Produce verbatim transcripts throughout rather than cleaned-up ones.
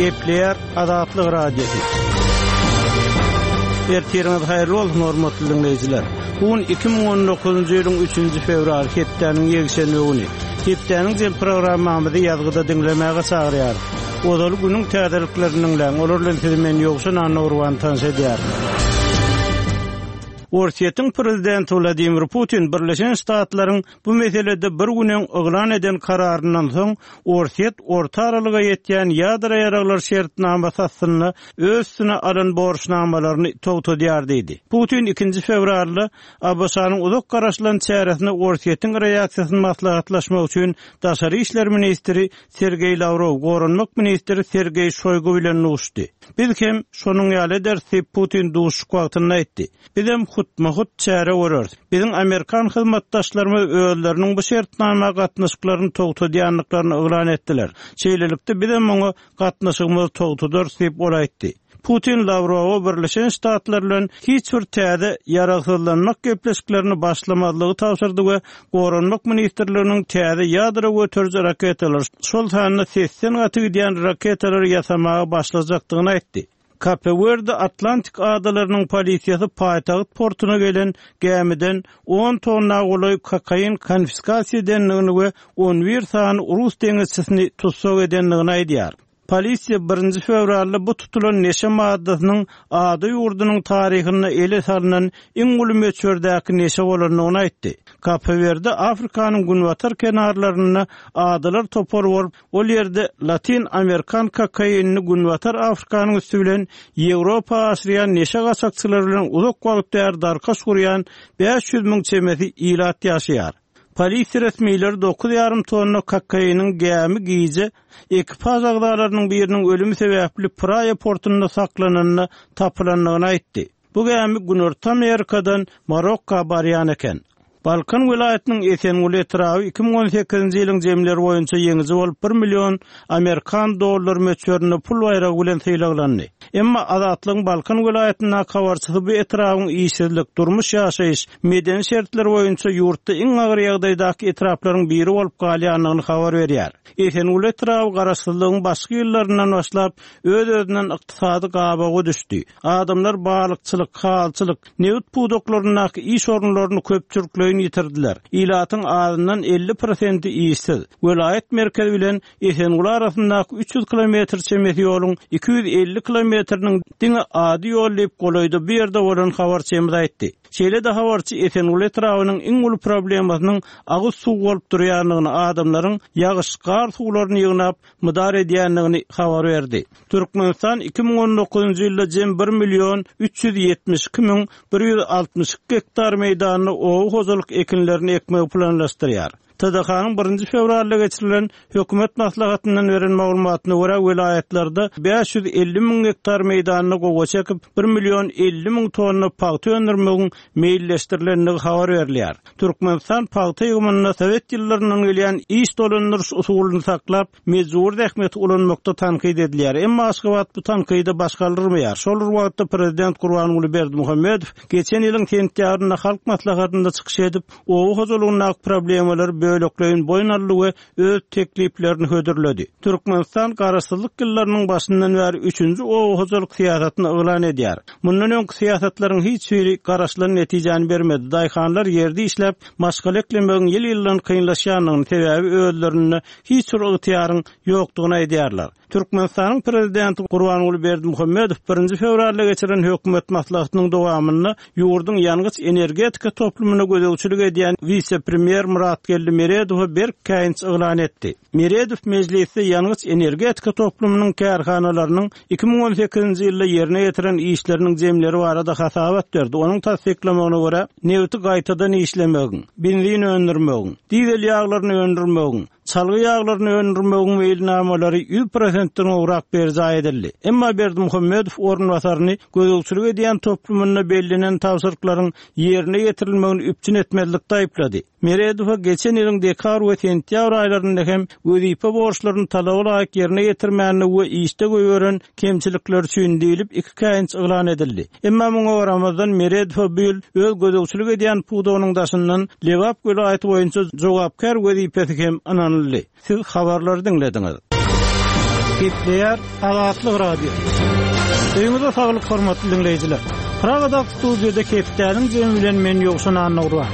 Gepleýär Azatlyk Radiosy. Ertiriňiz haýyrly bolsun, hormatly diňleýjiler. Bu gün iki müň on dokuzynjy ýylyň üçünji fewral, hepdäniň ýekşenbe güni. Hepdäniň jem programmamyzy ýazgyda diňlemäge çagyrýarys. Ozaly günüň täzeliklerini diňläň, olar bilen sizi men Ýowşan Annagurban tanyş edýärin. Orsýetiň prezidenti Wladimir Putin Birleşen Ştatlaryň bu meselede bir gün öň yglan eden kararyndan soň Orsýet orta aralyga ýetýän ýadro ýaraglar şertnamasy astynda öz üstüne alan borçnamalaryny togtadýar diýdi. Putin ikinji fewralda A B Ş-nyň uzak garaşylan çäresine Orsýetiň reaksiýasyny maslahatlaşmak üçin Daşary işler ministri Sergeý Lawrow, Goranmak ministri Sergeý Şoýgu bilen duşdy. Biz hem şonuň ýaly ederis diýip Putin duşuşyk wagtynda aýtdy. Biz hem hutma-hut çäre göreris. Biziň Amerikan hyzmatdaşlarymyz özleriniň bu şertnama gatnaşyklaryny togtadýandyklaryny yglan etdiler. Şeýlelikde biz hem oňa gatnaşygymyzy togtadarys diýip ol aýtdy. Putin Lawrowa Birleşen Ştatlar bilen hiç bir täze ýaragsyzlanmak gepleşiklerini başlamazlygy tabşyrdy we Goranmak ministrliginiň täze ýadro göteriji raketalar, şol sanda sesden gaty gidýän raketalary ýasamaga başlajakdygyny aýtdy. Kape-Werde Atlantik adalarynyň polisiýasy paýtagt portuna gelen gämiden on tonna golaý kokain konfiskasiýa edendigini we on bir sany rus deňizçisini tussag edendigini aýdýar. Polisiýa birinji fewralda bu tutulan neşe maddasynyň ada ýurdunyň taryhynda ele salynan iň uly möçberdäki neşe bolandygyny aýtdy. Kape-Werde Afrikanyň günbatar kenarlarynda adalar topary bolup, ol ýerde Latin Amerikan kokainini Günbatar Afrikanyň üstü bilen Ýewropa aşyrýan neşe gaçakçylary bilen uzak wagt bäri darkaş gurýan bäş ýüz müň çemesi ilat ýaşaýar. Polisiýa resmileri dokuz ýarym tonna kokainiň gämi gije ekipaž agzalarynyň biriniň ölümi sebäpli Praia portunda saklananyna tapylandygyny aýtdy. Bu gämi Günorta Amerikadan Marokka barýan eken. Balkan welaýatynyň Esenguly etraby iki müň on sekizinji ýylyň jemleri boýunça ýeňiji bolup bir million Amerikan dollar möçberinde pul baýragy bilen sylaglandy. Emma Azatlygyň Balkan welaýatyndaky habarçysy bu etrabyň işsizlik, durmuş ýaşaýyş, medeni şertler boýunça ýurtda iň agyr ýagdaýdaky etraplaryň biri bolup galýandygyny habar berýär. Esenguly etraby garaşsyzlygyň başky ýyllaryndan başlap öz-özünden ykdysady gabaga düşdi. Adamlar balykçylyk, halçylyk, nebit pudaklaryndaky iş orunlaryny köpçülikleýin ýitirdiler. Ilatyň azyndan elli prosenti işsiz. Welaýat merkezi bilen Esenguly arasyndaky üç ýüz kilometr çemesi ýoluň iki ýüz elli kilometriniň diňe ady ýol diýip golaýda bu ýerde bolan habarçymyz aýtdy. Şeýle-de habarçy Esenguly etrabynyň iň uly problemasynyň agyz suw bolup durýandygyny, adamlaryň ýagyş, gar suwlaryny ýygnap mydar edýändigini habar berdi. Türkmenistan iki müň on dokuzynjy ýylda jem bir million üç ýüz ýetmiş iki müň bir ýüz altmyş iki gektar meýdanda oba hojalyk ekinlerini ekmegi planlaşdyrýar. T D H-nyň birinji fewralda geçirilen hökümet maslahatyndan beren maglumatyna görä welaýatlarda bäş ýüz elli müň gektar meýdanda gowaça ekip bir million elli müň tonna pagta öndürmegiň meýilleşdirilendigi habar berilýär. Türkmenistan pagta ýygymynda Sowet ýyllaryndan gelýän iş dolandyryş usulyny saklap, mejbur zähmeti ulanmakda tankyt edilýär. Emma Aşgabat bu tankydy baş galdyrmaýar. Şol bir wagtda prezident Gurbanguly Berdimuhamedow geçen ýylyň sentýabrynda halk maslahatynda çykyş edip, oba hojalygyndaky problemalary bölekleýin boýun aldy we öz tekliplerini hödürledi. Türkmenistan garaşsyzlyk ýyllarynyň başyndan bäri üçünji oba hojalyk syýasatyny yglan edýär. Mundan öňki syýasatlaryň hiç biri garaşylan netijäni bermedi. Daýhanlar ýerde işläp, maşgala eklemegiň ýyl-ýyldan kynlaşýandygyny, sebäbi özlerinde hiç bir ygtyýaryň ýokdugyny aýdýarlar. Türkmenistanyň prezidenti Gurbanguly Berdimuhamedow birinji fewralda geçiren hökümet maslahatynyň dowamynda ýurduň ýangyç energetika toplumyna gözegçilik edýän wise-premýer Muratgeldi Meredowa berk käýinç yglan etdi. Meredow mejlisde ýangyç energetika toplumynyň kärhanalarynyň iki müň on sekizinji ýylda ýerine ýetiren işleriniň jemleri barada hasabat berdi. Onuň tassyklamagyna görä, nebiti gaýtadan işlemegiň, benzin öndürmegiň, dizel ýaglaryny öndürmegiň, çalgy ýaglaryny öndürmegiň meýilnamalary ýüz prosentden gowrak berjaý edildi. Emma Berdimuhamedow orunbasaryny gözegçilik edýän toplumynda bellenen tabşyryklaryň ýerine ýetirilmegini üpjün etmezlikde aýyplady. Meredowa geçen ýylyň dekabr we sentýabr aýlarynda hem wezipe borçlaryny talaba laýyk ýerine ýetirmänligi we işde goýberen kemçilikler üçin diýlip iki käýinç yglan edildi. Emma muňa garamazdan Meredowa bu ýyl öz gözegçilik edýän pudagynyň daşyndan Lebap welaýaty boýunça jogapkär wezipesi hem ynanyldy. Siz habarlary diňlediňiz. Gepleýär Azatlyk Radiosy. Öýüňize saglyk hormatly dinleýjiler. Pragada studiýada hepdäniň jemi bilen men Ýowşan Annagurban.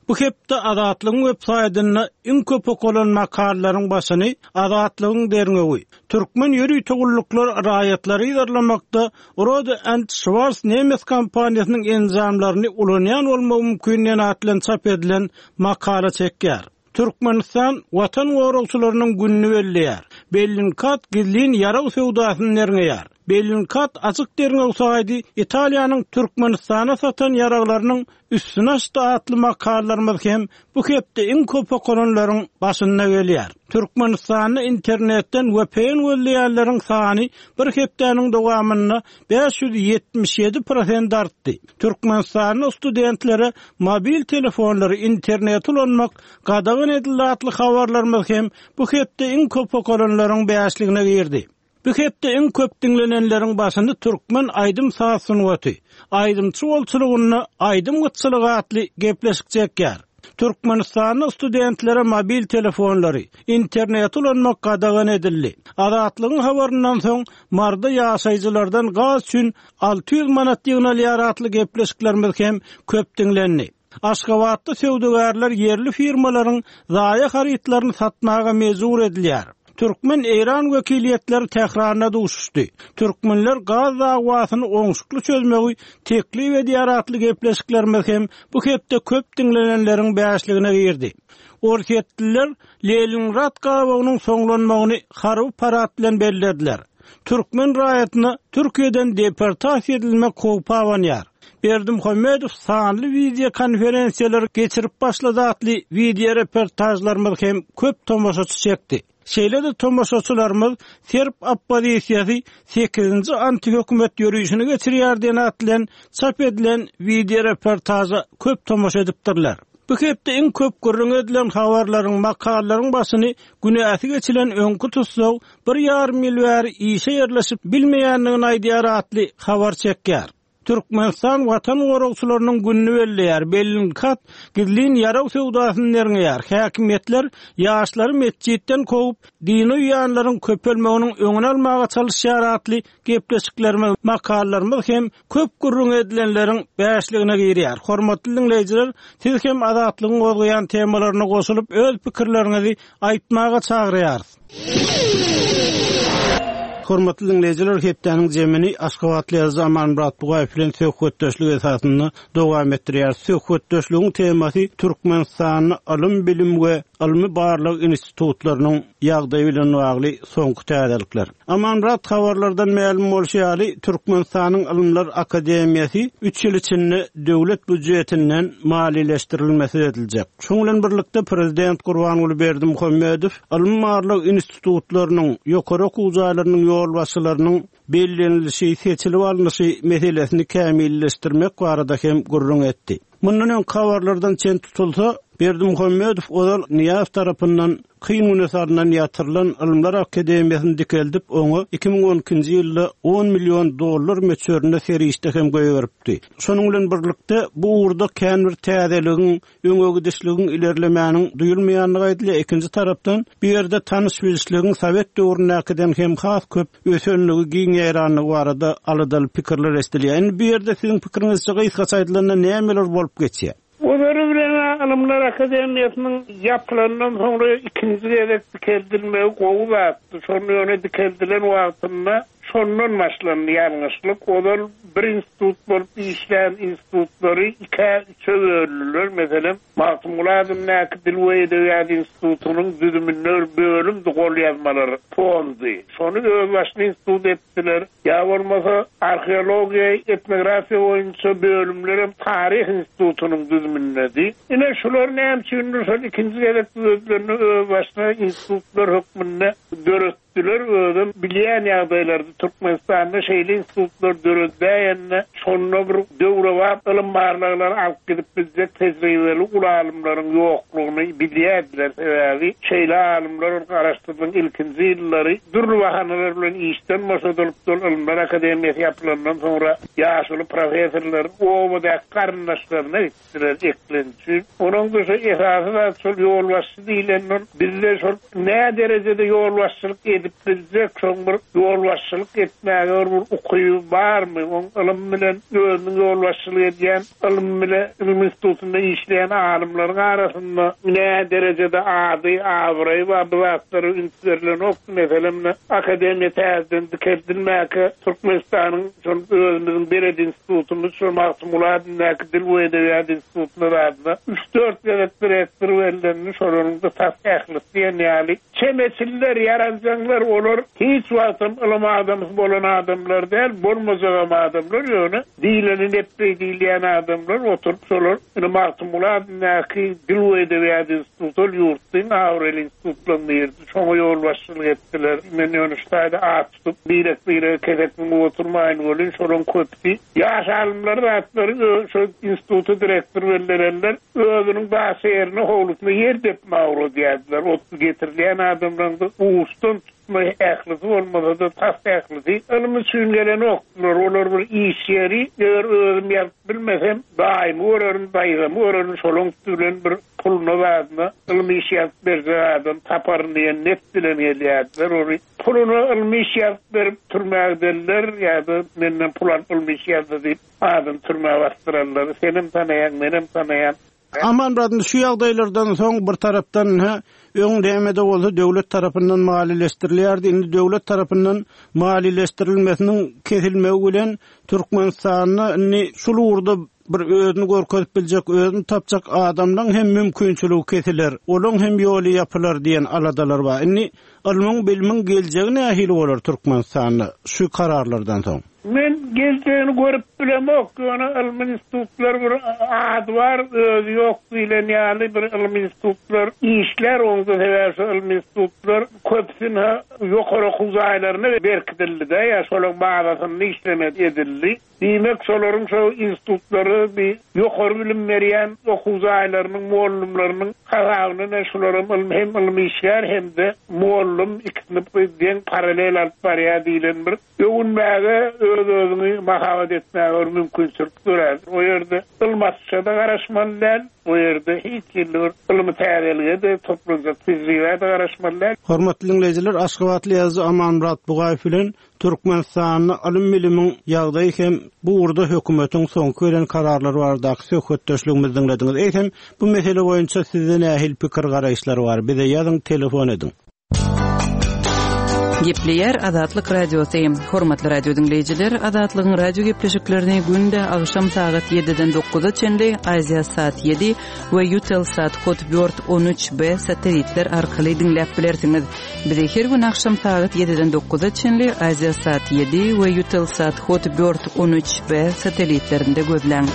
Bu hepde Azatlygyň web saýtynda iň köp okalan makalalaryň başyny Azatlygyň derňewi, Türkmen ýörite gulluklar raýatlary yzarlamakda Rode and Schwarz nemes kompaniýasynyň enjamlaryny ulanýan bolmagy mümkin diýen at bilen çap edilen makala çekýär. Türkmenistan Watan goragçylarynyň gününi belleýär. Bellingcat gizlin ýarag söwdasyny derňeýär. Bellingcat açyk derňew saýdy Italiýanyň Türkmenistana satan ýaraglarynyň üstüne açdy atly makalalarymyz hem bu hepde iň köp okalanlaryň başynda gelýär. Türkmenistanda internetden V P N gözleýänleriň sany bir hepdäniň dowamynda bäş ýüz ýetmiş ýedi prosent artdy. Türkmenistanda studentlere mobil telefonlary internet ulanmak gadagan edildi atly habarlarymyz hem bu hepde iň köp okalanlaryň bäşligine girdi. Bu hepde iň köp diňlenenleriň başyny Türkmen aýdym saz sungaty, aýdymçy bolçulygynda aýdym gytçylygy atly gepleşik çekýär. Türkmenistanda studentlere mobil telefonlary, internet ulanmak gadagan edildi. Azatlygyň habaryndan soň Marda ýaşaýjylardan gaz üçin alty ýüz manat ýygnalýar atly gepleşiklerimiz hem köp diňlendi. Aşgabatda söwdagärler ýerli firmalaryň zaýa harytlaryny satmaga mejbur edilýär. Türkmen-Eýran wekiliýetleri Tähranda duşuşdy. Türkmenler gaz dawasyny oňşukly çözmegi teklip edýär atly gepleşiklerimiz hem bu hepde köp diňlenenleriň bäşligine girdi. Orsýetliler Leningrad gabagynyň soňlanmagyny harby parad bilen bellediler. Türkmen raýatyna Türkiýeden deportasiýa edilmek howpy abanýar. Berdimuhamedow sanly video konferensiýalar geçirip başlady atly video reportajlarymyz hem köp tomaşaçy çekdi. Şeýle-de tomaşaçylarymyz Serb oppozisiýasy sekizinji antihökümet ýörişini geçirýär diýen at bilen çap edilen video reportaja köp tomaşa edipdirler. Bu hepde iň köp gürrüň edilen habarlaryň, makalalaryň başyny günäsi geçilen öňki tussag bir ýarym ýyl bäri işe ýerleşip bilmeýändigini aýdýar atly habar çekýär. Türkmenistan Watan goragçylarynyň gününi belleýär. Bellingcat gizlin ýarag söwdasyny derňeýär. Häkimiýetler ýaşlary metjitden kowup, dini uýanlaryň köpelmeginiň öňüni almaga çalyşýar atly gepleşiklerimiz, makalalarymyz hem köp gürrüň edilenleriň bäşligine girýär. Hormatly dinleýjiler, siz hem Azatlygyň gozgaýan temalaryna goşulyp öz pikirleriňizi aýtmaga çagyrýarys. Hormatly dinleýjiler, hepdäniň jemini Aşgabatly ýazyjy Amanmyrat Bugaýew bilen söhbetdeşlik esasynda dowam etdirýär. Söhbetdeşligiň temasy Türkmenistanda ylym, bilim we ylmy barlag institutlarynyň ýagdaýy bilen bagly soňky täzelikler. Amanmyrat, habarlardan mälim bolşy ýaly, Türkmenistanyň Ylymlar Akademiýasy üç ýyl içinde döwlet býujetinden maliýeleşdirilmesi ediljek. Şonuň bilen birlikde Prezident Gurbanguly Berdimuhamedow ylmy barlag institutlarynyň, ýokary okuw jaýlarynyň ýolbaşçylarynyň bellenilişi, seçilip alnyşy meselesini kämilleşdirmek barada hem gürrüň etdi. Mundan öň habarlardan çen tutulsa, Berdimuhamedow ozal Nyýazow tarapyndan kyn güne salynan ýatyrylan Ylymlar Akademiýasyny dikeldip, oňa iki müň on ikinji ýylda on million dollar möçberinde serişde hem goýberipdi. Şonuň bilen birlikde bu ugurda kän bir täzeligiň, öňe gidişligiň, ilerlemäniň duýulmaýandygy aýdylýar. Ikinji tarapdan bu ýerde tanyş bilişligiň Sowet döwründäkiden hem has köp ösenligi, giň ýaýranlygy barada aladaly pikirler eşidilýär. Indi bu ýerde siziň pikiriňizçe gysgaça aýdylanda nämeler bolup geçýär? Olary bilen Ylymlar Akademiýasynyň ýapylandan soňra ikinji gezek dikeldilmegi gowy zatdy. Şonda ýöne dikeldilen wagtynda şondan başlandy ýalňyşlyk. Ozal bir institut bolup işlän institutlary ikä üçe böldüler. Meselem, Magtymguly adyndaky Dil we Edebiýat institutynyň düzüminde bir bölümdi gol ýazmalar fondy. Şony özbaşyna institut etdiler. Ýa bolmasa arheologiýa, etnografiýa boýunça bölümler hem taryh institutynyň düzümindedi. Ine şular näme üçindir şol ikinji gezek düzedilende özbaşyna institutlar hökmünde döretdiler. Döretdiler, özem bilýän ýagdaýlarda Türkmenistanda şeýle institutlar döredilende şonda bir döwrebap ylym barlaglary alyp gidip biljek tejribeli uly alymlaryň ýoklugyny bilýärdiler. Sebäbi şeýle alymlar garaşsyzlygyň ilkinji ýyllary dürli bahanalar bilen işden boşadylypdyr. Ylymlar akademiýasy ýapylandan soňra ýaşuly professorlar obadaky garyndaşlaryna gitdiler eklenç üçin. Onuň da şu esasy zat şol ýolbaşçy diýlenden bizde şol nä derejede ýolbaşçylyk edip biljek, şoň bir ýolbaşçylyk etmäge bir ukyby barmy? Oň ylym bilen özüniň ýolbaşçylyk edýän ylym bile ylym institutynda işleýän alymlaryň arasynda nä derejede ady, abraýy bar, bu zatlara üns berilenok. Meselem, akademiýa täzeden dikeldilmäge Türkmenistanyň şol özümüziň Beled institutymyz, şol Magtymguly adyndaky Dil we Edebiýat institutyna zadyna üç-dört gezek direktor bellendi, şolaryň da tas ählisi diýen ýaly çemeçiller, ýaranjaňlar, olar hiç wagtam ylym adamsy bolan adamlar däl, bolmajagam adamlar, ýöne diýleni nepbeý diýilýän adamlar oturyp şolar ine Magtymguly adyndaky Dil we Edebiýat instituty ol ýurtdyň abraýly institutlaryň biridi. Şoňa ýolbaşçylyk etdiler. Men ýöne şu taýda at tutup birek-birege kesek müňüp oturmaýyn welin, şolaryň köpüsi ýaş alymlar zatlary ö-, şo instituty direktor bellenenler özüniň daşy ýerine howlusyna ýer depme ugradýardylar. Ot getirilýän adamlaryň da uçdan tutma ählisi bolmasa da tas ählisi ylym üçin gelen okdular. Olar bir iş ýeri, eger özüm ýazyp bilmesem, daýymy görerin, daýzamy görerin, şolaryň bilen bir puluna zadyna ylym iş ýazyp berjek adam taparyn diýen net bilen gelýärdiler. Ory puluna ylym iş ýazyp berip türmä gidenler ýa-da menden pul alyp ylym iş ýazdy diýip adam türmä basdyrarlar. Senem tanaýan, menem tanaýan. Amanmyrat, şu ýagdaýlardan soň bir tarapdan ha, öň näme-de bolsa döwlet tarapyndan maliýeleşdirilýärdi. Indi döwlet tarapyndan maliýeleşdirilmesiniň kesilmegi bilen Türkmenistanda indi şul ugurda bir özüni görkezip biljek, özüni tapjak adamlaryň hem mümkinçiligi kesiler, olaryň hem ýoly ýapylar diýen aladalar bar. Indi ylmyň, bilimiň geljegi nähili bolar Türkmenistanda şu kararlardan soň? Men geljegini görüp bilemok. Ýöne ylmy institutlar bir ady bar, özi ýok diýlen ýaly bir ylmy institutlar işler, oňda sebäbi şu ylmy institutlar köpüsine ýokary okuw jaýlaryna berkidildi-de, ýa şolaryň bazasynda işleme edildi. Diýmek, şolaryň şo institutlary bir ýokary bilim berýän okuw jaýlarynyň mugallymlarynyň hasabyna şularyň ylmy hem ylmy işgär hem-de mugallym ikisini bir deň paralel alyp barýar diýlen bir öwünmäge, öz-özüňi mahabat etmäge bir mümkinçilik dörär. O ýerde ylym açyşa da garaşmaly däl, o ýerde hiç hili bir ylmy täzelige-de toplanjak tejribe-de garaşmaly däl. Hormatly dinleýjiler, Aşgabatly ýazyjy Amanmyrat Bugaýew bilen Türkmenistanda ylym bilimiň ýagdaýy hem bu ugurda hökümetiň soňky gelen kararlary baradaky söhbetdeşligimizi diňlediňiz. Eýsem, bu mesele boýunça sizde nähili pikir garaýyşlar bar? Bize ýazyň, telefon ediň. Gepleýär Azatlyk Radiosy. Hormatly radio dinleýjiler, Azatlygyň radio gepleşiklerini günde agşam sagat ýediden dokuza çenli Aziýa saat ýedi we Eutelsat Hotbird on üç B satellitler arkaly diňläp bilersiňiz. Bizi her gün agşam sagat ýediden dokuza çenli Aziýa saat ýedi we Eutelsat Hotbird on üç B satellitlerinde gözläň.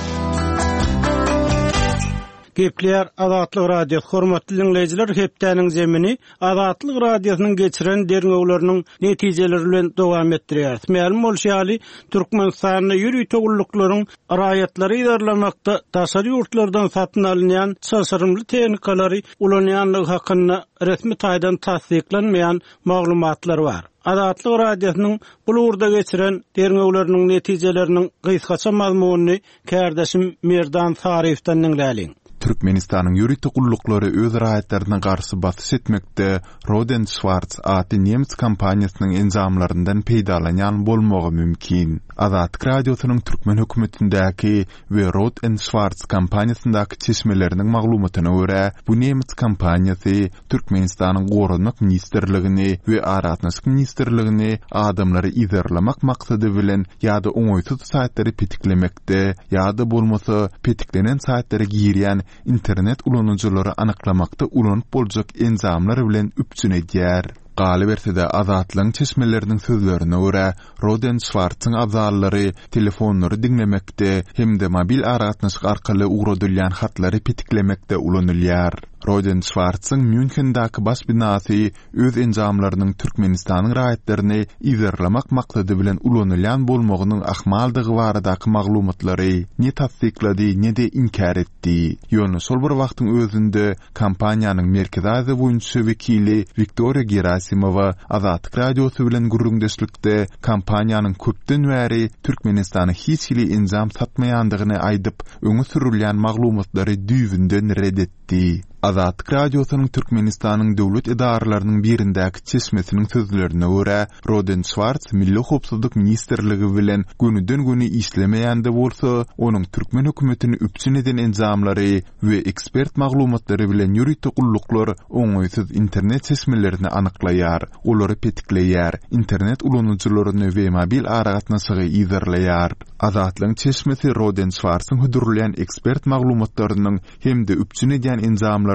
Gepleýär Azatlyk Radiosy. Hormatly dinleýjiler, hepdäniň zemini Azatlyk Radiosynyň geçiren derňewleriniň netijeleri bilen dowam etdirýär. Mälim bolşy ýaly, Türkmenistanda ýörite gulluklaryň raýatlary yzarlamakda daşary ýurtlardan satyn alynýan çylşyrymly tehnikalary ulanýanlygy hakynda resmi taýdan tassyklanmaýan maglumatlar bar. Azatlyk Radiosynyň bu ugurda geçiren derňewleriniň netijeleriniň gysgaça mazmunyny kärdeşim Merdan Saryýewden diňläliň. Türkmenistanyň ýörite gulluklary öz raýatlaryna garşy basyş etmekde Rohde Schwarz atly nemes kompaniýasynyň enjamlaryndan peýdalanýan bolmagy mümkin. Azatlyk Radiosynyň türkmen hökümetindäki we Rohde Schwarz kompaniýasyndaky çeşmeleriniň maglumatyna görä, bu nemes kompaniýasy Türkmenistanyň Goranmak ministrligini we Aragatnaşyk ministrligini adamlary yzarlamak maksady bilen ýa-da oňaýsyz saýtlary petiklemekde ýa-da bolmasa petiklenen saýtlara girýän internet ulanyjylary anyklamakda ulanyp boljak enjamlar bilen üpjün edýär. Galyberse-de Azatlygyň çeşmeleriniň sözlerine görä, Rohde Schwarzyň abzallary telefonlary diňlemekde hem-de mobil aragatnaşyk arkaly ugradylýan hatlary petiklemekde ulanylýar. Roden Şwartzyň Mýunhendäki baş binasy öz enjamlarynyň Türkmenistanyň raýatlaryny yzarlamak maksady bilen ulanylýan bolmagynyň ahmaldygy baradaky maglumatlary ne tassyklady, ne-de inkär etdi. Ýöne şol bir wagtyň özünde kompaniýanyň Merkezi Aziýa boýunça wekili Wiktoriýa Gerasimowa Azatlyk Radiosy bilen gürrüňdeşlikde kompaniýanyň köpden bäri Türkmenistana hiç hili enjam satmaýandygyny aýdyp, öňe sürülýän maglumatlary düýbünden ret etdi. Azatlyk Radiosynyň Türkmenistanyň döwlet edaralarynyň birindäki çeşmesiniň sözlerine görä, Roden Şwartz Milli howpsuzlyk ministrligi bilen gönüden-göni işlemeýän-de bolsa, onuň türkmen hökümetini üpjün eden enjamlary we ekspert maglumatlary bilen ýörite gulluklar oňaýsyz internet çeşmelerini anyklaýar, olary petikleýär, internet ulanyjylaryny we mobil aragatnaşygy yzarlaýar. Azatlygyň çeşmesi Roden Şwartzyň hödürleýän ekspert maglumatlarynyň hem-de üpjün edýän enjamlarynyň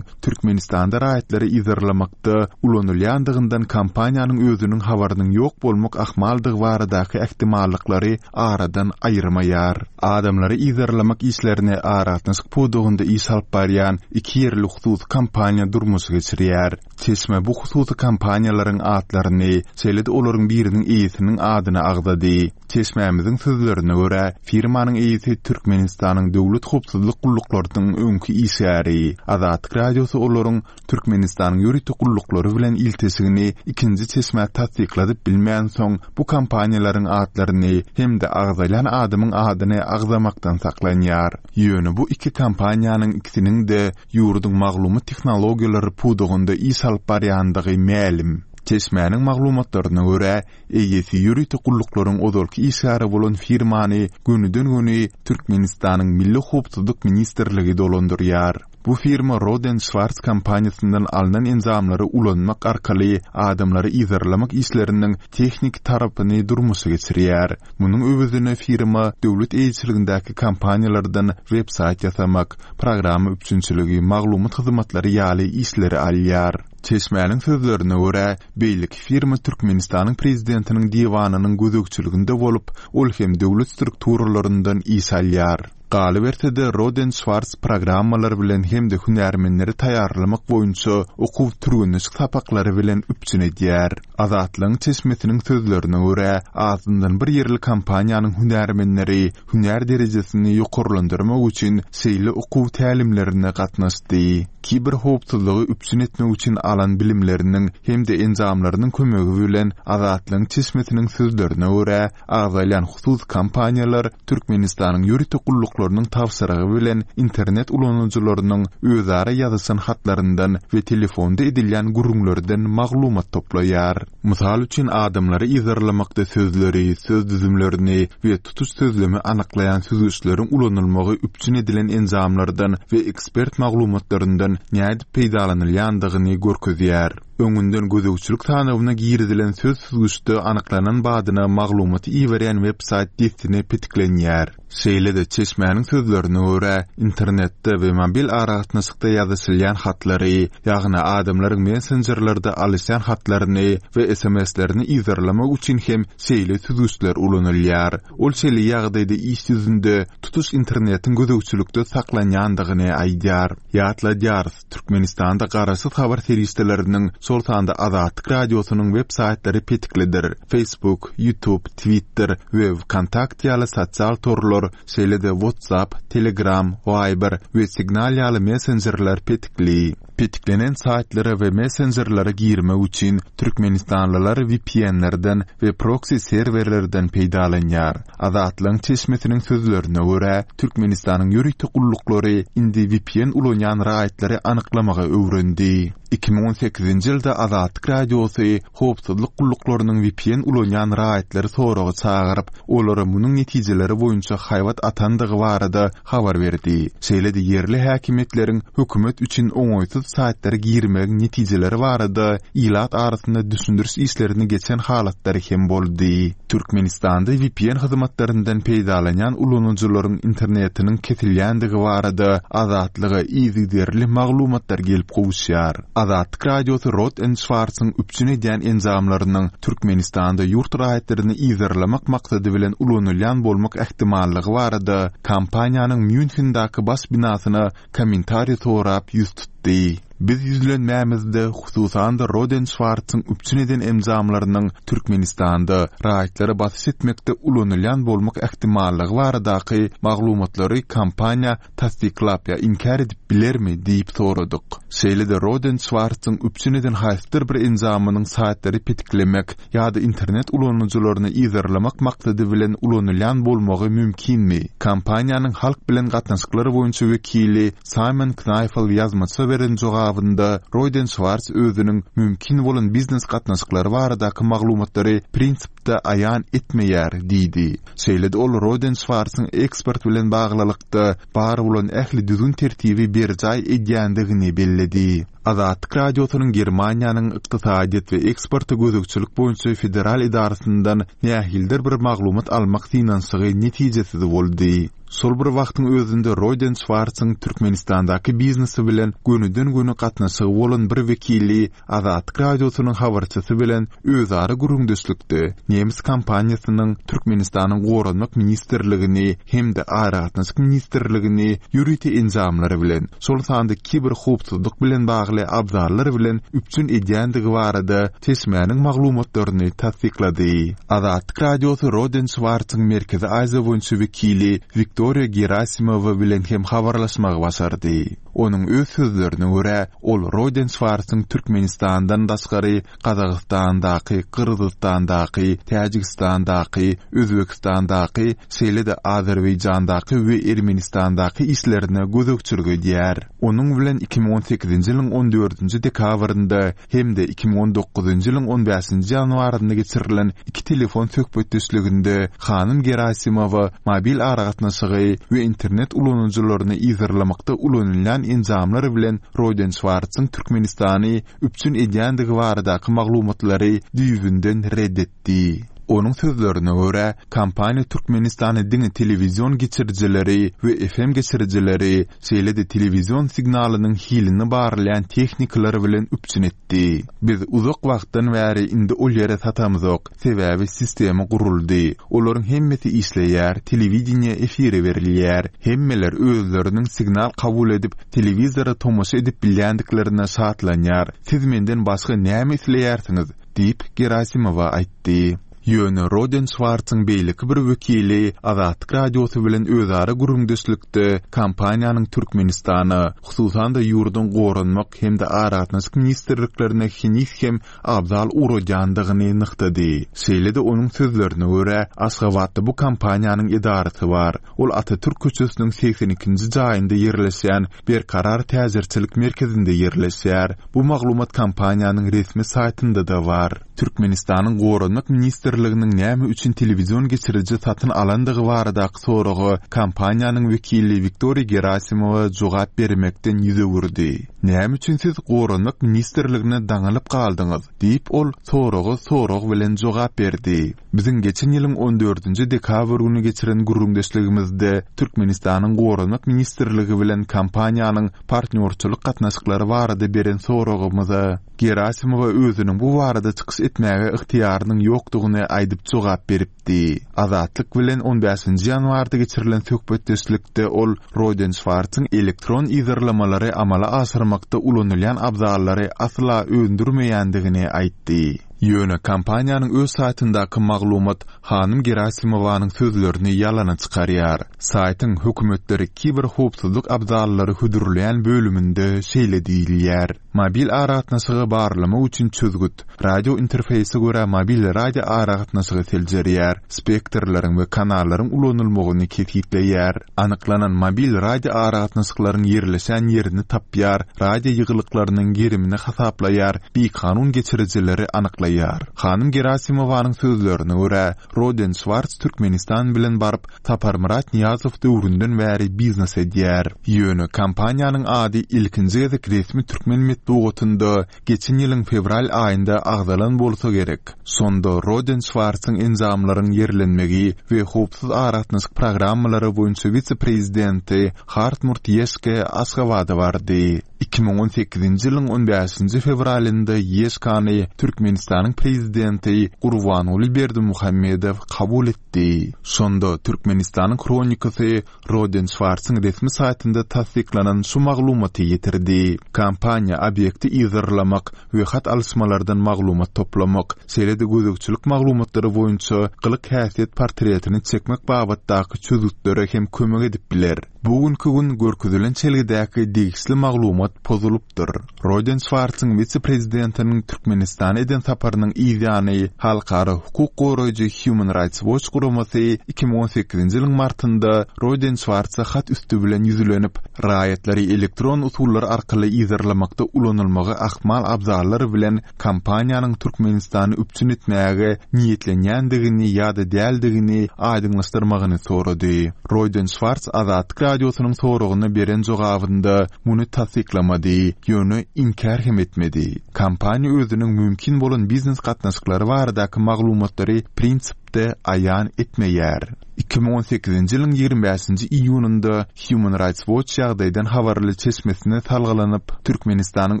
Türkmenistanda raýatlary yzarlamakda ulanylýandygyndan kompaniýanyň özüniň habarynyň ýok bolmak ahmaldygy baradaky ähtimallyklary aradan aýyrmaýar. Adamlary yzarlamak işlerini aragatnaşyk pudagynda iş alyp barýan iki ýerli hususy kompaniýa durmuşa geçirýär. Çeşme bu hususy kompaniýalaryň atlaryny, şeýle-de olaryň biriniň eýesiniň adyny agzady. Çeşmämiziň sözlerine görä, firmanyň eýesi Türkmenistanyň döwlet howpsuzlyk gulluklarynyň öňki işgäri. Azatlyk Radiosy olaryň Türkmenistanyň ýörite gulluklary bilen ilteşigini ikinji çeşmä tassykladyp bilmänsoň, bu kompaniýalaryň atlaryny hem-de agzalýan adamyň adyny agzamakdan saklanýar. Ýöne bu iki kompaniýanyň ikisiniň-de ýurduň maglumat tehnologiýalary pudagynda iş alyp barýandygy mälim. Çeşmäniň maglumatlaryna görä, eýesi ýörite gulluklaryň ozalky işgäri bolan firmany gönüden-göni Türkmenistanyň Milli howpsuzlyk ministrligi dolandyrýar. Bu firma Roden Şwartz kompaniýasyndan alnan enjamlary ulanmak arkaly adamlary yzarlamak işleriniň tehniki tarapyny durmuşa geçirýär. Munuň öwezine firma döwlet eýeçiligindäki kompaniýalardan web-saýt ýasamak, programma üpjünçiligi, maglumat hyzmatlary ýaly işleri alýar. Çeşmäniň sözlerine görä, beýleki firma Türkmenistanyň prezidentiniň diwanynyň gözegçiliginde bolup, ol hem döwlet strukturalaryndan iş alýar. Galyberse-de, Roden Şwartz programmalar bilen hem-de hünärmenleri taýýarlamak boýunça okuw-türgenleşik sapaklary bilen üpjün edýär. Azatlygyň çeşmesiniň sözlerine görä, azyndan bir ýerli kompaniýanyň hünärmenleri hünär derejesini ýokarlandyrmak üçin şeýle okuw tälimlerine gatnaşdy. Kiberhowpsuzlygy üpjün etmek üçin alan bilimleriniň hem-de enjamlarynyň kömegi bilen Azatlygyň çeşmesiniň sözlerine görä, agzalýan hususy kompaniýalar Türkmenistanyň ýörite gulluklarynyň tabşyrygy bilen internet ulanyjylarynyň özara ýazyşan hatlaryndan we telefonda edilýän gürrüňlerden maglumat toplaýar. Mysal üçin, adamlary yzarlamakda sözleri, söz düzümlerini we tutuş sözlemi anyklaýan süzgüçleriň ulanylmagy üpjün edilen enjamlardan we ekspert maglumatlaryndan nädip peýdalanylýandygyny görkezýär. Öňünden gözegçilik sanawyna girizilen söz süzgüçde anyklanan badyna maglumaty iberýän web-saýt dessine petiklenýär. Şeýle-de, çeşmäniň sözlerine görä, internetde we mobil aragatnaşykda ýazyşylýan hatlary, ýagny adamlaryň messenjerlerde alyşýan hatlaryny we sms-lerini yzarlamak üçin hem şeýle süzgüçler ulanylýar. Ol şeýle ýagdaýda iş ýüzünde tutuş internetiň gözegçilikde saklanýandygyny aýdýar. Ýatladýarys, Türkmenistanda garaşsyz habar serişdeleriniň, şol sanda Azatlyk Radiosynyň web saýtlary petiklidir. Facebook, YouTube, Twitter we WKontakte ýaly sosial torlar, şeýle-de WhatsApp, Telegram, Viber we Signal ýaly messenjerler petikli. Petiklenen saýtlara we messenjerlere girmek üçin türkmenistanlylar V P N-lerden we proksi serwerlerden peýdalanýar. Azatlygyň çeşmesiniň sözlerine görä, Türkmenistanyň ýörite gulluklary indi V P N ulanýan raýatlary anyklamagy öwrendi. iki müň on sekizinji ýylda Azatlyk Radiosy howpsuzlyk gulluklarynyň V P N ulanýan raýatlary soraga çagyryp, olara munuň netijeleri boýunça haýbat atandygy barada habar berdi. Şeýle-de ýerli häkimiýetleriň hökümet üçin oňaýsyz saýtlara girmegiň netijeleri barada ilat arasynda düşündiriş işlerini geçen halatlary hem boldy. Türkmenistanda V P N hyzmatlaryndan peýdalanýan ulanyjylaryň internetiniň kesilýändigi barada Azatlyga yzygiderli maglumatlar gelip gowuşýar. Azatlyk Radiosy Rohde and Schwarzyň üpjün edýän enjamlarynyň Türkmenistanda ýurt raýatlaryny yzarlamak maksady bilen ulanylýan bolmak ähtimallygy barada kompaniýanyň Mýunhendäki baş binasyna kommentariý sorap ýüz tutdy. aýtdy. Biz ýüzlenmämizde, hususan-da Roden Şwartzyň üpjün eden enjamlarynyň Türkmenistanda raýatlara basyş etmekde ulanylýan bolmak ähtimallygy baradaky maglumatlary kompaniýa tassyklap ýa inkär edip bilermi diýip soradyk. Şeýle-de Roden Şwartzyň üpjün eden haýsydyr bir enjamynyň saýtlary petiklemek ýa-da internet ulanyjylaryny yzarlamak maksady bilen ulanylýan bolmagy mümkinmi? Kompaniýanyň halk bilen gatnaşyklar boýunça wekili Simon Knaýfel ýazmaça beren jogabynda Roden Şwartz özüniň mümkin bolan biznes gatnaşyklary baradaky maglumatlary prinsipde aýan etmeýär diýdi. Şeýle-de ol Roden Şwartzyň eksport bilen baglylykda bar bolan ähli düzgün-tertibi berjaý edýändigini belledi. Azatlyk Radiosynyň Germaniýanyň Ykdysadyýet we eksporta gözegçilik boýunça federal edarasyndan nähilidir bir maglumat almak synanyşygy netijesiz boldy. Şol bir wagtyň özünde Roden Şwartzyň Türkmenistandaky biznesi bilen gönüden-göni gatnaşygy bolan bir wekili Azatlyk Radiosynyň habarçysy bilen özara gürrüňdeşlikde nemes kompaniýasynyň Türkmenistanyň Goranmak ministrligini hem-de Aragatnaşyk ministrligini ýörite enjamlar bilen, şol sanda kiberhowpsuzlyk bilen bagly abzallar bilen üpjün edýändigi barada çeşmäniň maglumatlaryny tassyklady. Azatlyk Radiosy Roden Şwartzyň Merkezi Aziýa boýunça wekili Wiktoriýa Gerasimowa bilen hem habarlaşmagy başardy. Onuň öz sözlerine görä, ol Roden Şwartzyň Türkmenistandan daşgary Gazagystandaky, Gyrgyzystandaky, Täjigistandaky, Özbegistandaky, şeýle-de Azerbaýjandaky we Ermenistandaky işlerine gözegçilik edýär. Onuň bilen iki müň on sekizinji ýylyň on dördünji dekabrynda hem-de iki müň on dokuzynjy ýylyň on bäşinji ýanwarynda geçirilen iki telefon söhbetdeşliginde hanym Gerasimowa mobil aragatnaşygy we internet ulanyjylaryny yzarlamakda ulanylýan enjamlar bilen Roden Şwartzyň Türkmenistany üpjün edýändigi baradaky maglumatlary düýbünden ret etdi. Onuň sözlerine görä, kompaniýa Türkmenistana diňe telewizion geçirijileri we F M geçirijileri, şeýle-de telewizion signalynyň hilini barlaýan tehnikalar bilen üpjün etdi. Biz uzak wagtdan bäri indi ol ýere satamzok, sebäbi sistema guruldy. Olaryň hemmesi işleýär, telewideniýe efire berilýär. Hemmeler özleriniň signal kabul edip, telewizora tomaşa edip bilýändiklerine şatlanýar. Siz menden başga näme isleýärsiňiz? Diýip, Gerasimowa aýtdy. Ýöne Roden Şwartzyň beýleki bir wekili Azatlyk Radiosy bilen özara gürrüňdeşlikde kompaniýanyň Türkmenistana, hususan-da ýurduň Goranmak hem-de Aragatnaşyk ministrliklerine heniz hem abzal ugradýandygyny nygtady. Şeýle-de onuň sözlerine görä, Aşgabatda bu kompaniýanyň edarasy bar. Ol Atatürk köçesiniň segsen ikinji jaýynda ýerleşýän Berkarar täjirçilik merkezinde ýerleşýär. Bu maglumat kompaniýanyň resmi saýtynda-da bar. Türkmenistanyň Goranmak ministrliginiň näme üçin telewizion geçiriji satyn alandygy baradaky soraga kompaniýanyň wekili Wiktoriýa Gerasimowa jogap bermekden ýüz öwürdi. Näme üçin siz Goranmak ministrligine daňylyp galdyňyz? Diýip ol soraga sorag bilen jogap berdi. Biziň geçen ýylyň on dördünji dekabr güni geçiren gürrüňdeşligimizde Türkmenistanyň Goranmak ministrligi bilen kompaniýanyň partnýorçylyk gatnaşyklary barada beren soragymyza Gerasimowa özüniň bu barada çykyş etmäge ygtyýarynyň ýokdugyny aýdyp jogap beripdi. Azatlyk bilen on bäşinji ýanwarda geçirilen söhbetdeşlikde ol Roden Şwartzyň elektron yzarlamalary amala aşyrmakda ulanylýan abzallary asla öndürmeýändigini aýtdy. Ýöne kompaniýanyň öz saýtyndaky maglumat hanym Gerasimowanyň sözlerini ýalana çykarýar. Saýtyň hökümetleri kiberhowpsuzlyk abzallary hödürleýän bölüminde şeýle diýilýär. Mobil aragatnaşygy barlamak üçin çözgüt, radio interfeýse görä mobil radio aragatnaşygy seljerýär, spektrleriň we kanallaryň ulanylmagyny kesgitleýär. Anyklanan mobil radio aragatnaşyklaryň ýerleşen ýerini tapýar, radio ýygylyklarynyň gerimini hasaplaýar, bikanun geçirijileri anyklaýar. Hanym Gerasimowanyň sözlerine görä, Roden Şwartz Türkmenistan bilen baryp, Saparmyrat Nyýazow döwründen bäri biznes edýär. Ýöne kompaniýanyň ady ilkinji gezek resmi türkmen metbugatynda geçen ýylyň fewral aýynda agzalan bolsa gerek. Şonda Roden Şwartzyň enjamlaryň ýerlenmegi we howpsuz aragatnaşyk programmalary boýunça wise-prezidenti Hartmut Ýeşke Aşgabada bardy. Iki müň on sekizinji ýylyň on bäşinji fewralynda Ýeşkany Türkmenistanyň Prezidenti Gurbanguly Berdimuhamedow kabul etdi. Şonda Türkmenistanyň Hronikasy Roden Şwarsyň resmi saýtynda tassyklanan şu maglumaty ýetirdi. Kompaniýa obýekti yzarlamak we hat alyşmalardan maglumat toplamak, şeýle-de gözegçilik maglumatlary boýunça gylyk-häsiýet portretini çekmek babatdaky çözgütlere hem kömek edip biler. Bu günki gün görkezilen çelgidäki degişli maglumat pozulypdyr. Roden Şwarsyň wise-prezidentiniň Türkmenistana eden saparynyň yzýany halkara hukuk goraýjy Human Rights Watch guramasy iki müň on sekizinji ýylyň martynda Roden Şwarsa hat üsti bilen ýüzlenip, raýatlary elektron usullar arkaly yzarlamakda ulanylmagy ahmal abzallar bilen kompaniýanyň Türkmenistany üpjün etmäge niýetlenýändigini ýa-da däldigini aýdyňlaşdyrmagyny sorady. Roden Şwars Azatlyk Radiosynyň soragyna beren jogabynda muny tassyklamady, ýöne inkär hem etmedi. Kompaniýa özüniň mümkin bolan biznes gatnaşyklary baradaky maglumatlary prinsipde aýan etmeýär. Iki müň on sekizinji ýylyň ýigrimi bäşinji iýunynda Human Rights Watch ýagdaýdan habarly çeşmesine salgylanyp, Türkmenistanyň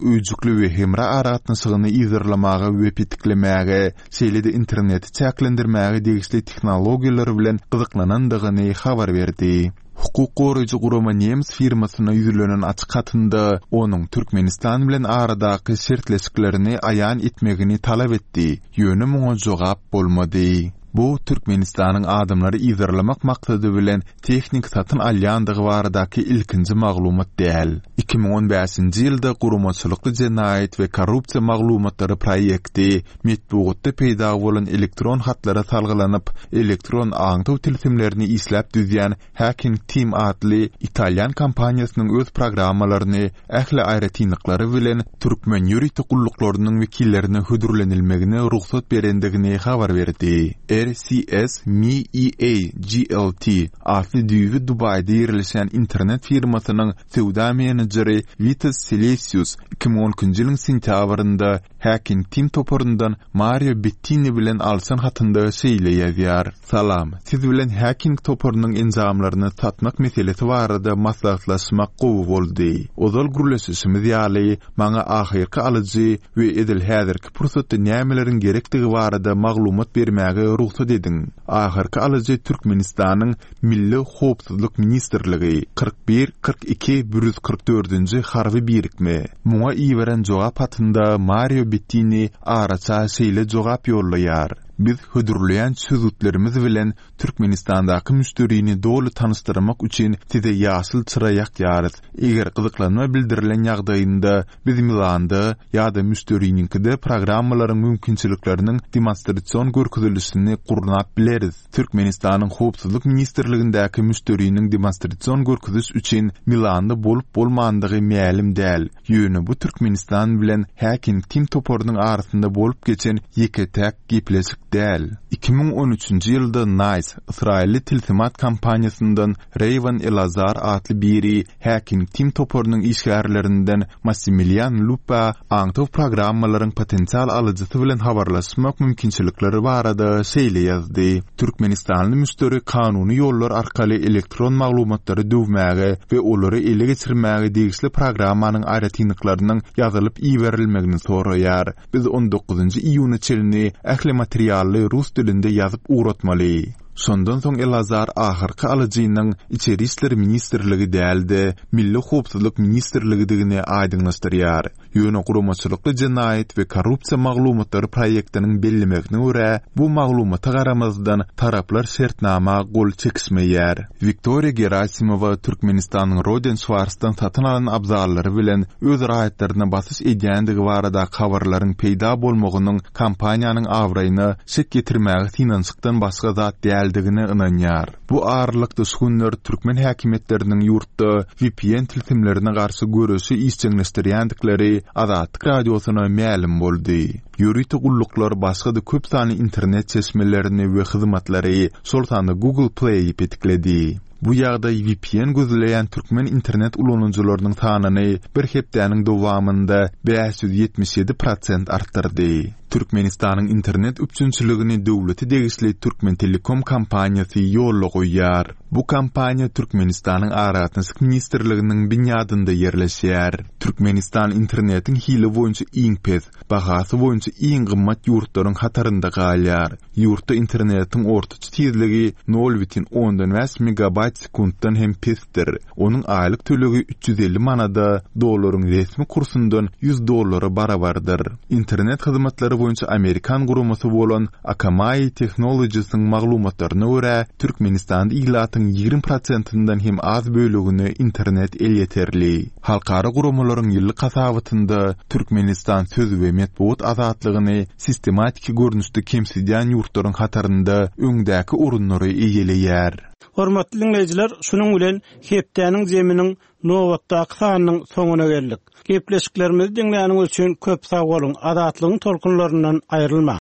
öýjükli we hemra aragatnaşygyny yzarlamaga we petiklemäge, şeýle-de interneti çäklendirmäge degişli tehnologiýalar bilen gyzyklanandygyny habar berdi. Hukuk goraýjy gurama nemes firmasyna ýüzlenen açyk hatynda onuň Türkmenistan bilen aradaky şertleşiklerini aýan etmegini talap etdi, ýöne muňa jogap bolmady. Bu Türkmenistanyň adamlary yzarlamak maksady bilen tehnik satyn alýandygy baradaky ilkinji maglumat däl. Iki müň on bäşinji ýylda guramaçylykly jenaýat we korrupsiýa maglumatlary proýekti metbugatda peýda bolan elektron hatlara salgylanyp, elektron aňtaw tilsimlerini işläp düzýän Hacking Team atly italýan kompaniýasynyň öz programmalaryny ähli aýratynlyklary bilen türkmen ýörite gulluklarynyň wekillerine hödürlenilmegine rugsat berendigini habar berdi. R C S M E A G L T atly düýbi Dubaýda ýerleşen internet firmasynyň söwda menejeri Vitas Selesius iki müň on ikinji ýylyň sentýabrynda Hacking Team toparyndan Mario Bettini bilen alşan hatynda şeýle ýazýar: Salam, siz bilen Hacking toparynyň enjamlaryny satmak meselesi barada maslahatlaşmak gowy boldy. Ozal gürleşişimiz ýaly, maňa ahyrky alyjy we edil häzirki pursatda nämeleriň gerekdigi barada maglumat bermäge rugsat ediň. Ahyrky alyjy Türkmenistanyň Milli Howpsuzlyk Ministrligi kyrk bir kyrk iki bir ýüz kyrk dördünji harby birikme. Muňa iberen jogap hatynda Mario Bettini araça şeýle jogap ýollaýar: Biz hödürleýän çözgütlerimiz bilen Türkmenistandaky müşderini doly tanyşdyrmak üçin size ýaşyl çyra ýakýarys. Eger gyzyklanma bildirilen ýagdaýynda biz Milanda ýa-da müşderiniňkide programmalaryň mümkinçilikleriniň demonstrasion görkezilişini gurnap bileris. Türkmenistanyň Howpsuzlyk Ministrligindäki müşderiniň demonstrasion görkeziş üçin Milanda bolup bolmandygy mälim däl. Ýöne bu Türkmenistan bilen Hacking Team toparynyň arasynda bolup geçen ýeke-täk gepleşik däl. Iki müň on üçünji ýylda Nice, Ysraýylly tilsimat kompaniýasyndan Rayvan Elazar atly biri Hacking Team toparynyň işgärlerinden Massimilian Lupa aňtaw programmalaryň potensial alyjysy bilen habarlaşmak mümkinçilikleri barada şeýle ýazdy: Türkmenistanly müşderi kanuny ýollar arkaly elektron maglumatlary döwmäge we olary ele geçirmäge degişli programmanyň aýratynlyklarynyň ýazylyp iberilmegini soraýar. Biz on dokuzynjy iýuna çenli ähli materially rus dilinde ýazyp ugratmaly. Şondan soň Elazar ahyrky alyjynyň Içeri işler ministrligi däl-de, Milli Howpsuzlyk ministrligidigini aýdyňlaşdyrýar. Ýöne guramaçylykly jenaýat we korrupsiýa maglumatlary proýektiniň bellemegine görä, bu maglumata garamazdan taraplar şertnama gol çekişmeýär. Wiktoriýa Gerasimova Türkmenistanyň Roden Şwarsdan satyn alan abzallary bilen öz raýatlaryna basyş edýändigi baradaky habarlaryň peýda bolmagynyň kompaniýanyň abraýyna şek ýetirmäge synanyşykdan başga zat däldigine ynanýar. Bu aralykda şu günler türkmen häkimiýetleriniň ýurtda V P N tilsimlerine garşy göreşi işjeňleşdirýändikleri Azatlyk Radiosyna mälim boldy. Ýörite gulluklar başga-da köp sanly internet çeşmelerini we hyzmatlary, şol sanda Google Play-i petikledi. Bu ýagdaý V P N gözleýän türkmen internet ulanyjylarynyň sanyny bir hepdäniň dowamynda bäş ýüz ýetmiş ýedi prosent artdyrdy. Türkmenistanyň internet üpjünçiligini döwlete degişli Türkmen Telekom kompaniýasy ýolla goýýar. Bu kompaniýa Türkmenistanyň Aragatnaşyk ministrliginiň binýadynda ýerleşýär. Türkmenistan internetiň hili boýunça iň pes, bahasy boýunça iň gymmat ýurtlaryň hatarynda galýar. Ýurtda internetiň ortaça tizligi nol bütin ondan bäş megabaýt sekuntdan hem pesdir. Onuň aýlyk tölegi üç ýüz elli manada, dollaryň resmi kursundan ýüz dollara barabardyr. Internet hyzmatlary boýunça amerikan guramasy bolan Akamai Technologies-iň maglumatlaryna görä, Türkmenistanda ilatyň ýigrimi prosentinden hem az bölegine internet elýeterli. Halkara guramalaryň ýyllyk hasabatynda Türkmenistan söz we metbugat azatlygyny sistematiki görnüşde kemsidýän ýurtlaryň hatarynda öňdäki orunlary eýeleýär. Hormatly diňleýjiler, şunuň bilen hepdäniň zeminiň nobatdaky sanynyň soňuna geldik. Gepleşiklerimizi diňläniňiz üçin köp sag boluň. Azatlygyň tolkunlaryndan aýrylmaň.